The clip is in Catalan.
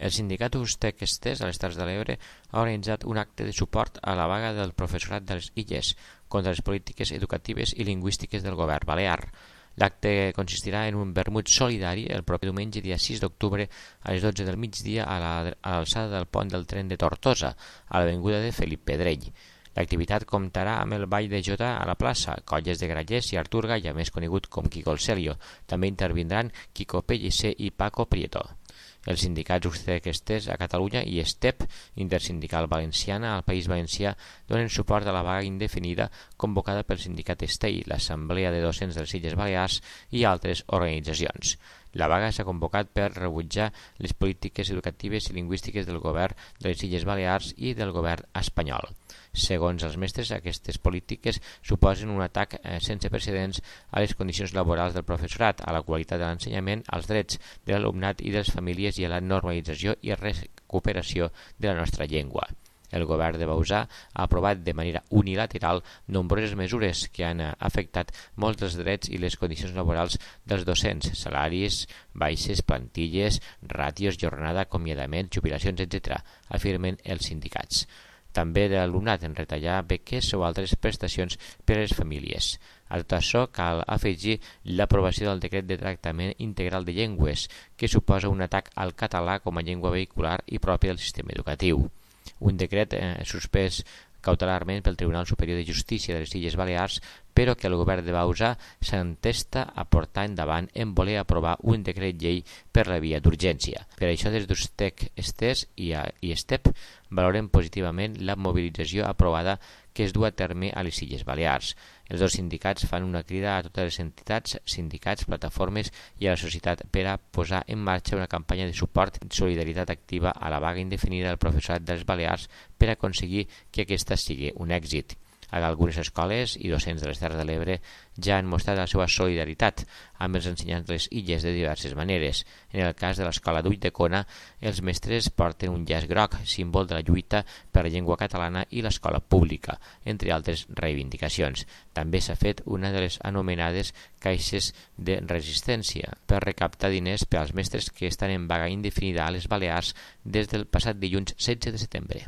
El sindicat Ustec Estès a les Terres de l'Ebre ha organitzat un acte de suport a la vaga del professorat de les Illes contra les polítiques educatives i lingüístiques del govern balear. L'acte consistirà en un vermut solidari el proper diumenge, dia 6 d'octubre, a les 12 del migdia a l'alçada del pont del tren de Tortosa, a l'avinguda de Felip Pedrell. L'activitat comptarà amb el ball de jota a la plaça, colles de grallers i Artur Galla, més conegut com Quico el Celio. També intervindran Quico Pellicer i Paco Prieto. Els sindicats Ustec Estès a Catalunya i STEP, Intersindical Valenciana, al País Valencià, donen suport a la vaga indefinida convocada pel sindicat STEI, l'Assemblea de Docents de les Illes Balears i altres organitzacions. La vaga s'ha convocat per rebutjar les polítiques educatives i lingüístiques del govern de les Illes Balears i del govern espanyol. Segons els mestres, aquestes polítiques suposen un atac sense precedents a les condicions laborals del professorat, a la qualitat de l'ensenyament, als drets de l'alumnat i de les famílies i a la normalització i recuperació de la nostra llengua. El govern de Bauzá ha aprovat de manera unilateral nombroses mesures que han afectat molts dels drets i les condicions laborals dels docents, salaris, baixes, plantilles, ràtios, jornada, acomiadaments, jubilacions, etc., afirmen els sindicats. També de l'alumnat en retallar beques o altres prestacions per a les famílies. A tot això cal afegir l'aprovació del decret de tractament integral de llengües, que suposa un atac al català com a llengua vehicular i pròpia del sistema educatiu. Un decret suspès cautelarment pel Tribunal Superior de Justícia de les Illes Balears, però que el govern de Bauzá s'entesta a portar endavant en voler aprovar un decret llei per la via d'urgència. Per això, des d'Ustec Estès i STEP valoren positivament la mobilització aprovada que es du a terme a les Illes Balears. Els dos sindicats fan una crida a totes les entitats, sindicats, plataformes i a la societat per a posar en marxa una campanya de suport i solidaritat activa a la vaga indefinida del professorat de les Balears per aconseguir que aquesta sigui un èxit. Algunes escoles i docents de les Terres de l'Ebre ja han mostrat la seva solidaritat amb els ensenyants de les illes de diverses maneres. En el cas de l'escola d'Ulldecona, els mestres porten un llaç groc, símbol de la lluita per la llengua catalana i l'escola pública, entre altres reivindicacions. També s'ha fet una de les anomenades caixes de resistència per recaptar diners per als mestres que estan en vaga indefinida a les Balears des del passat dilluns 16 de setembre.